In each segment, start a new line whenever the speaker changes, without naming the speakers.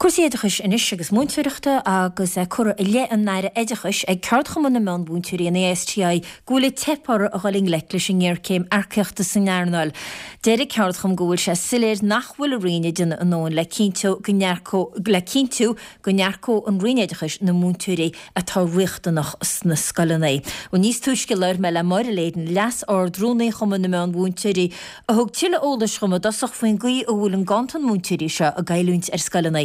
Cúrsaí oideachais anois agus múinteoireachta agus é curtha i leith an Aire Oideachais ag Ceardchumann na Meán-Mhúinteoirí, an ASTI, go bhfuil ag teip orthu a dhul i ngleic leis an ngéarchéim earcaíochta san earnáil. Deir an ceardchumann go bhfuil sé soiléir nach bhfuil an Roinn ag déanamh a ndóthain le cinntiú go n-earcódh le cinntiú go n-earcódh an Roinn Oideachais na múinteoirí atá riachtanach sna scoileanna. Bhuel níos túisce labhair mé le Máire Leyden, Leas-Ard-Rúnaí Chumann na Meán-Mhúinteoirí, a thug tuilleadh eolais dhom i dtosach faoin gcaoi a bhfuil an ganntan múinteoirí seo ag goilliúint ar scoileanna.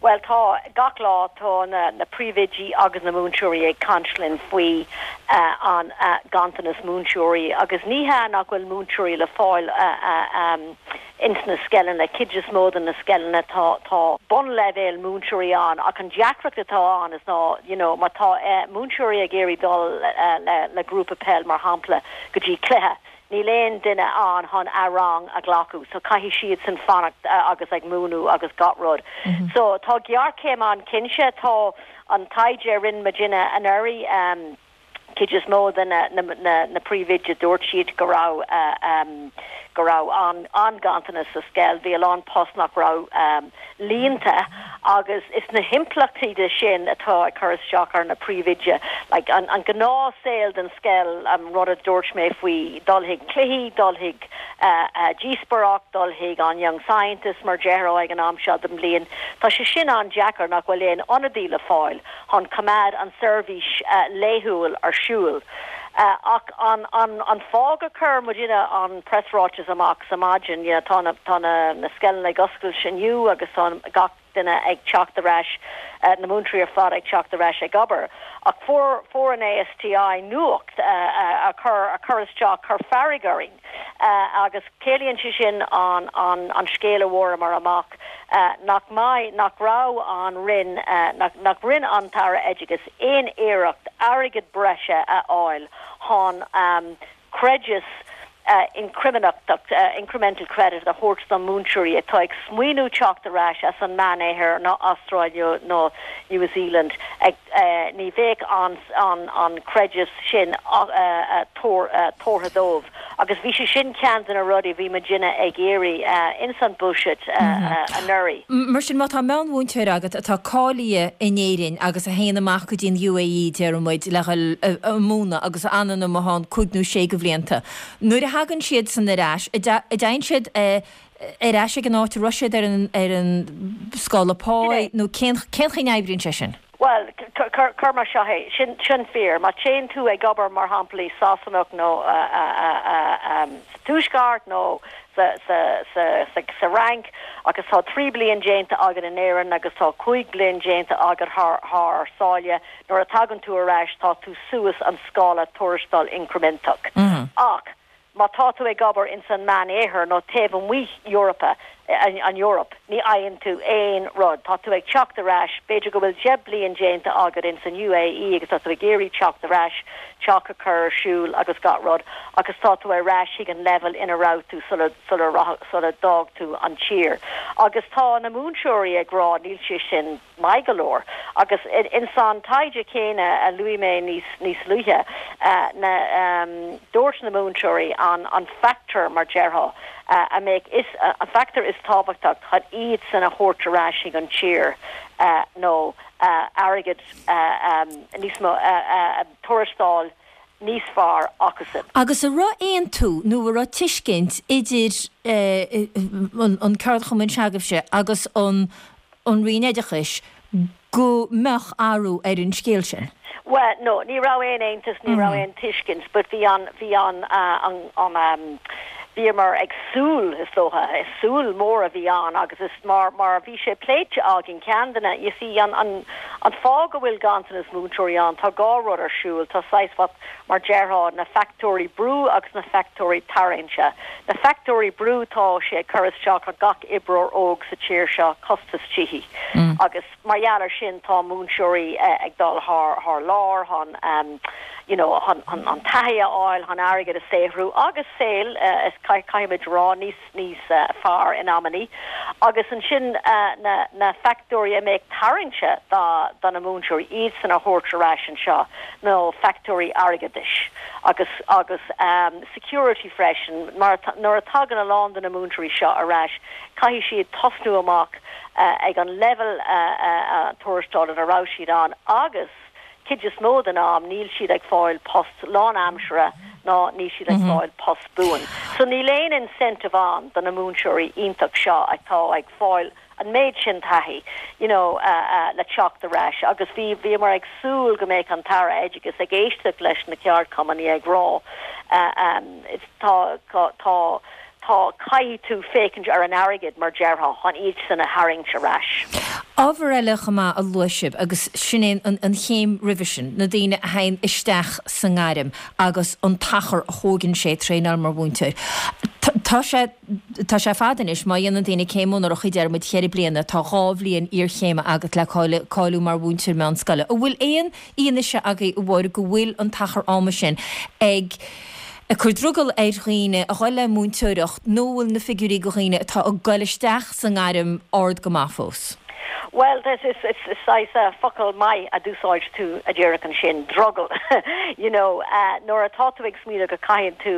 Bhuel tá, gach lá tá na príomhoidí agus na múinteoirí ag caint linn faoi an ganntanas múinteoirí agus ní hea nach bhfuil múinteoirí le fáil ins na scoileanna, cuid is mó de na scoileanna tá tá bunleibhéal múinteoirí ann ach an deacracht atá ann is ná you know má tá múinteoirí ag iarraidh dul le le grúpa peil mar shampla go dtí cluiche Níl aon duine ann chun a rang a ghlacadh so caithfidh siadsan fanacht agus ag múineadh agus gach rud. So tá géarchéim ann cinnte. Tá an taighde a rinne muidinne anuraidh, cuid is mó de na na príomhoidí dúirt siad go raibh go raibh an-ghanntanas sa scoil. Bhí a lán post nach raibh líonta agus is na himpleachtaí de sin atá ag cur isteach ar na príomhoidí. Like an an gnáth saol den scoil, an rud a dúirt mé faoi dul chuig cluichí, dul chuig díospóireacht, dul chuig an Young Scientist mar déarfá ag an am seo den bhliain, tá sé sin an-deacair nach bhfuil aon ionadaí le fáil chun coimeád an seirbhís laethúil ar siúl. Ach an an fáth gur chuir muidinne an preasráiteas amach sa maidin, you know, tá na tá na na scoileanna ag oscailt inniu agus tá gach duine ag teacht ar ais, na múinteoirí ar fad ag teacht ar ais ag obair. Ach fuair fuair an ASTI nuacht a chuir a chuir isteach, chuir fearg orainn agus ciallaíonn sé sin an an an scéal a bhfuaireamar amach nach mbeidh nach raibh an Roinn nach nach rinne an tAire Oideachais aon iarracht airgead breise a fháil chun creideas incriminteach, incremental credit, a thabhairt do mhúinteoirí atá ag smaoineamh teacht ar ais as an Meánoirthear nó Astráil nó New Zealand. Ní bheadh an creideas sin tabhartha dóibh agus bhí sé sin ceann de na rudaí a bhí muidinne ag iarraidh ins an Buiséad anuraidh.
Mar sin, má tá meánmhúinteoir agat atá cáilithe in Éirinn agus a théann amach go dtí an UAE, déarfaidh muid, le dhul a múineadh agus a fhanann amuigh ann cúig nó sé de bhlianta, nuair a thagann siad san ar ais, an dtéann siad ar ais ag an áit a raibh siad ar an ar an scála páí nó cén cén chaoi a n-oibríonn sé sin?
Bhuel, cuir mar seo é, sin sin fíor. Má téann tú ag obair, mar shampla, i Sasana nó sa Tuaisceart nó sa sa sa sa sa Fhrainc agus tá 3 bliain déanta agat in Éirinn agus tá 5 bliain déanta agat thar thar sáile, nuair a tagann tú ar ais tá tú suas an scála tuarastail incriminteach. Ach má tá tú ag obair ins an Meán-Oirthear nó taobh amuigh Eorpa, an Eoraip, ní fhaigheann tú aon rud. Tá tú ag teacht ar ais, b'fhéidir go bhfuil 10 bliain déanta agat ins an UAE agus tá tú ag iarraidh teacht ar ais, teach a chur ar siúl agus gach rud, agus tá tú ar ais chuig an leibhéal ina raibh tú sula, sula, sula d'fhág tú an tír. Agus tá na múinteoirí ag rá níl sé sin maith go leor. Agus ins an taighde céanna a luaigh mé níos, níos luaithe, na, dúirt na múinteoirí an, an factor, mar déarfá, a mbeadh is, an factor is tábhachtach chun iadsan a thabhairt ar ais chuig an tír nó airgead níos mó, tuarastal níos fearr acusan.
Agus an raibh aontú nó an raibh tuiscint idir an ceardchumann se'agaibhse agus an Roinn Oideachais go mbeadh athrú ar an scéal sin?
Bhuel, no, ní raibh aon aontas, ní raibh aon tuiscint, but bhí an, bhí an, an, an, bhíomar ag súil, is dócha, is súil mór a bhí ann agus is mar, mar bhí sé pléite againn, ceann de na, you see, an, an, an fáth go bhfuil ganntanas múinteoirí ann, tá dhá rud ar siúl, tá saghas what, mar déarfá, na factóirí brú agus na factóirí tarraingte. Na factóirí brú, tá sé ag cur isteach ar gach oibreoir óg sa tír seo, costas tithí agus, Mar gheall ar sin tá múinteoirí ag dul thar thar lear chun. you know chun an taithí a fháil, chun airgead a saothrú agus saol is caithfimid rá níos níos fearr in amannaí agus ansin na na factóirí a mbeadh tarraingte do do na múinteoirí iadsan a thabhairt ar ais anseo nó factóirí airgeadais agus agus security freisin mar nuair a tagann a lán de na múinteoirí seo ar ais caithfidh siad tosnú amach ag an leibhéal tuarastail ina raibh siad ann agus cuid is mó den am níl siad ag fáil post lánaimseartha ná níl siad ag fáil post buan. So níl aon incentive ann do na múinteoirí iontach seo atá ag fáil an méid sin taithí you know le teacht ar ais agus bhí bhíomar ag súil go mbeadh an tAire Oideachais ag éisteacht leis na ceardchumainn ag rá tá tá Tá, caithfidh tú féachaint ar an airgead, mar déarfá, chun iad san a tharraingt ar ais.
Ábhar eile chomh maith a luaigh sibh, agus sin é an chéim roimhe sin, na daoine a thagann isteach sa ngairm agus an t-achar a thóigeann sé traenáil mar mhúinteoir. Tá sé, tá sé fada anois, má dhéanann daoine céim onóracha deir muid cheithre bliana, tá 2 bhliain iarchéime agat le cáiliú mar mhúinteoir meánscoile. An bhfuil aon fhianaise agaibh a Mháire go bhfuil an t-achar ama sin ag ag cur drogall ar dhaoine a dhul le múinteoireacht nó an bhfuil na figiúirí go dhaoine atá ag goil isteach sa ngairm ard go maith fós?
Bhuel, is is saghas focal maith a d'úsáid tú a díreach ansin, drogall. You know, nuair atá tú ag smaoineamh go caithfidh tú,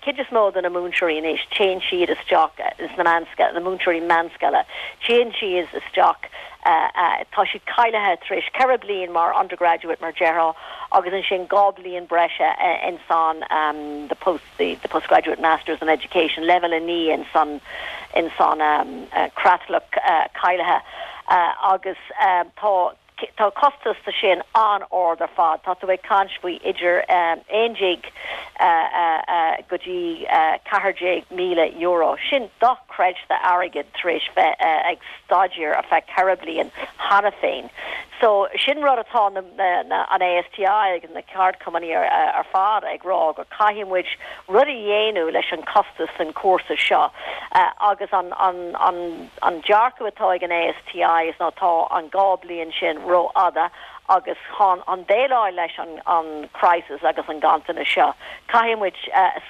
cuid is mó de na múinteoirí anois, téann siad isteach sna meánscoile, na múinteoirí meánscoile, téann siad isteach, tá siad cáilithe tar éis 4 bliain mar undergraduate mar déarfá agus ansin 2 bliain breise in san the post the the postgraduate masters in education level 9 in san in san creatlach cáilithe agus tá tá costas de sin an-ard ar fad. Tá tú ag caint faoi idir 11 go dtí €14,000. Sin dochreidte airgead tar éis bheith ag staidéar ar feadh 4 bliain cheana féin. So sin rud atá na, na, an ASTI agus na ceardchumainn ar, ar fad ag rá go caithfidh muid rud a dhéanamh leis an costas den cúrsa seo agus an, an, an, an dearcadh atá ag an ASTI is ná tá an 2 bliain sin rófhada agus chun an déileáil leis an, an crisis agus an ganntanas seo caithfidh muid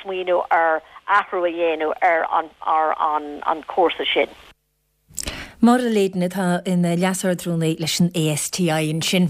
smaoineamh ar athrú a dhéanamh ar an, ar an, an cúrsa sin.
Máire Leyden atá ina Leas-Ardrúnaí leis an ASTI ansin.